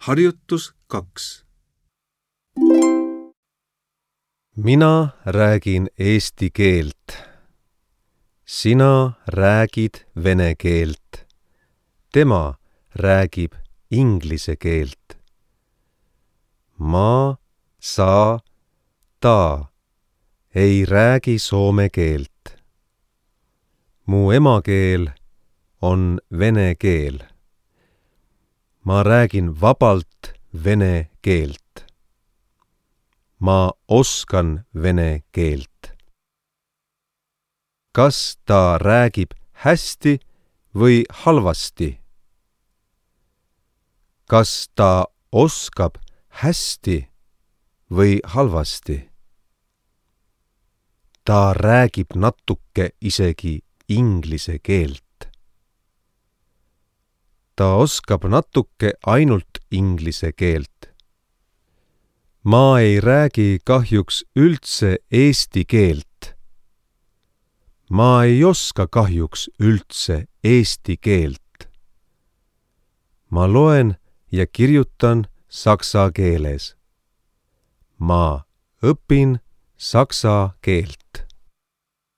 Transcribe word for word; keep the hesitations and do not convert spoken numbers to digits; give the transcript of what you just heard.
Harjutus kaks. Mina räägin eesti keelt. Sina räägid vene keelt. Tema räägib inglise keelt. Ma, sa, ta ei räägi soome keelt. Mu emakeel on vene keel. Ma räägin vabalt vene keelt. Ma oskan vene keelt. Kas ta räägib hästi või halvasti? Kas ta oskab hästi või halvasti? Ta räägib natuke isegi inglise keelt. Ta oskab natuke ainult inglise keelt. Ma ei räägi kahjuks üldse eesti keelt. Ma ei oska kahjuks üldse eesti keelt. Ma loen ja kirjutan saksa keeles. Ma õpin saksa keelt.